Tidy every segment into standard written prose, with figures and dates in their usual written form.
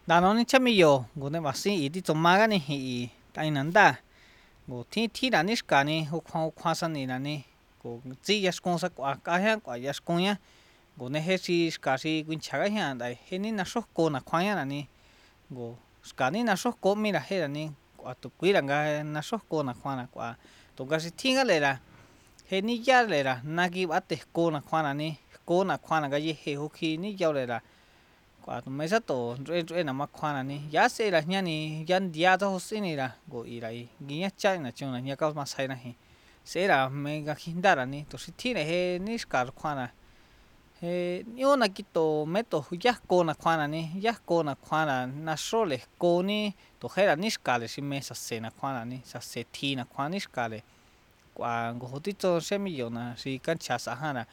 Danoni chamillo gune basi iti tomagani hi tainanda go thi la niskani ukhuasani nani go tsi yaskonsa kwa yaskunya go nehechi skasi winchaga hian dai heni na sokko na khwaya nani go skani na sokko mira herani kwa tu kuiranga na sokko na khwana kwa to gasi thinga lera heni ya lera nagi bate ko na khwana ni ko na khwana ga ye he hoki ni yaw lera kwa tu mesa to re na ma khwana ni ya se la nyani yan dia to hosini la go irai ginya cha na chuna nya ka ma sai na hi se ra me ga hindara ni to si thine he ni skar khwana he yo na kito meto ya ko na khwana ni ya ko na khwana na sole ko ni to hera ni skale si mesa se na khwana ni sa se thi na khwana ni skale kwa go hotito semillo na si cancha sa hana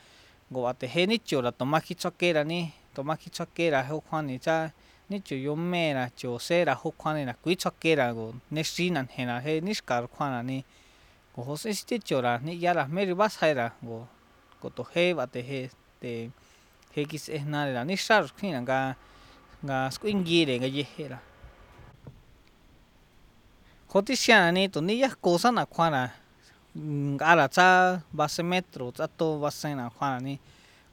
go ate he ni chora to ma ki chokera ni to ma ki chokera ho khwani cha ni chu yo mera cho sera ho khwani na kui chokera go ne sinan he na he ni skar khwana ni go ho se sti chora ni ya la meri vas haira go to he bate he te he kis e na la ni sar khina ga squingire ga ye hera hotisiana ni to ni ya cosa na khwana ara cha base metro cha to base na khwana ni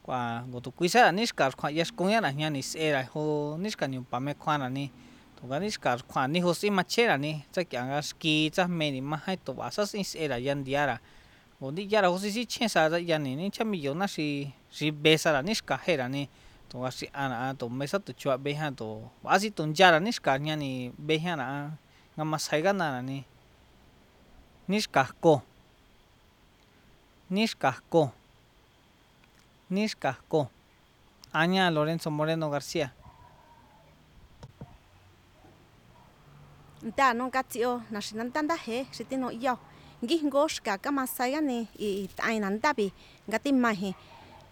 kwa go to kuisa ni skar khwa yes kunya na nya ni era ho ni ska ni pa me khwana ni to ga ni skar khwa ni ho si machera ni cha kya ga ski cha me ni ma hai to basa sin era yan diara go ni yara ho si chen sa ya ni cha mi yo na si besa la ni ska hera ni to ga si ana to mesa to chua be ha to asi to yara ni ska nya ni be ha na nga masai ga na ni niskako Aña Lorenzo Moreno García nta no katio na shinantanda he shitino yo ngingo shka kama saya ni I tainanda bi ngati mahi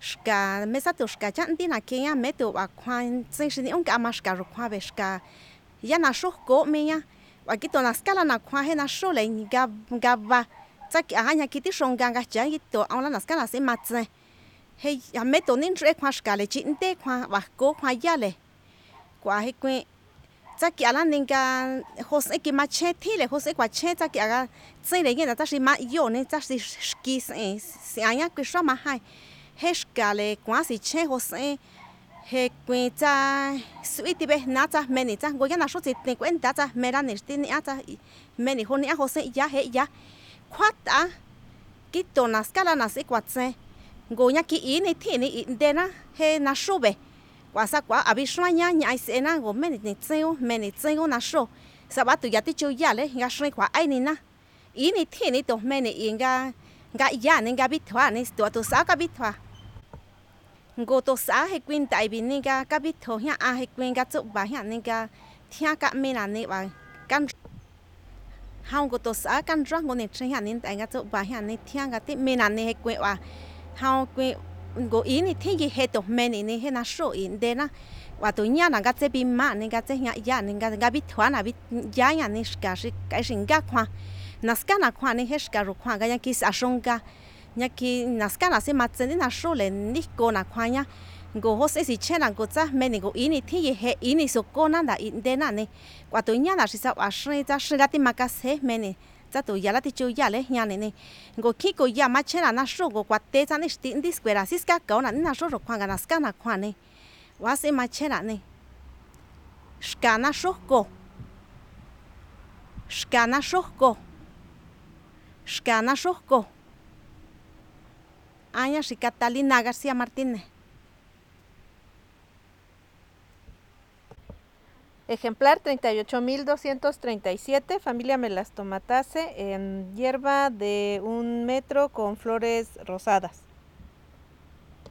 shka mesa to shka chanti na kenya meto wa kwan tsin shini on kama shka ro kwa be shka ya na sho ko meya wa kito na skala na kwa he na sho le gaba tsaki ahanya kiti shonga ga cha kito aula na skala se matse he ya meto nin tre kwa shka le chinte kwa wa ko kwa ya le kwa he kwe tsaki ala ninga hose ki mache thile hose kwa che tsaki aga tsile ngena tsashi ma yo ne tsashi ski se anya kwe shwa ma hai he shkale kwa si che hose he kwe tsa suiti be na tsa meni tsa go ya na sho tsi te kwenta tsa mera ne sti ni ata meni honi a hose ya he ya kwata kito na skala na se kwa tse go nya ki ini thini dena he na shube wasa kwa abishwanya nya isena go meni tseo na sho sabatu ya tichu yale nga shwe kwa ainina ini thini to meni inga nga ya ninga bitwa ni to saka bitwa go to sa he kwinta ibininga ka bitho ya a he kwinga tsu ba ya ninga thia ka mena ni ba kan hao go to sa kan rang go ni chen ya nin ta nga tsu ba ya ni thia ga ti mena ni he kwe wa hao kwe go ini thingi he to meni ni he na sho in de na wa to nya na ga tse bi ma ni ga tse ya ni ga bi thwa na bi ya ya ni ska shi kai shin ga khwa na ska na khwa ni he ska ru khwa ga ya ki sa shonga nya ki na ska na se ma tse ni na sho le ni ko na khwa nya go ho se si che na go tsa meni go ini thingi he ini so ko na da in de na ni wa to nya na shi sa wa shri ta shi ga ti ma ka se meni za to ya la ti chu ya le nya ne go ki ko ya ma chena na sho go kwa te za ni sti ndi square siska ka na na sho ro kwa ga na ska na kwa ne wa se ma chena ne shka na sho go shka na sho go shka na sho go Aña shi Catalina García Martínez. Ejemplar 38.237, familia Melastomataceae, en hierba de 1 metro con flores rosadas.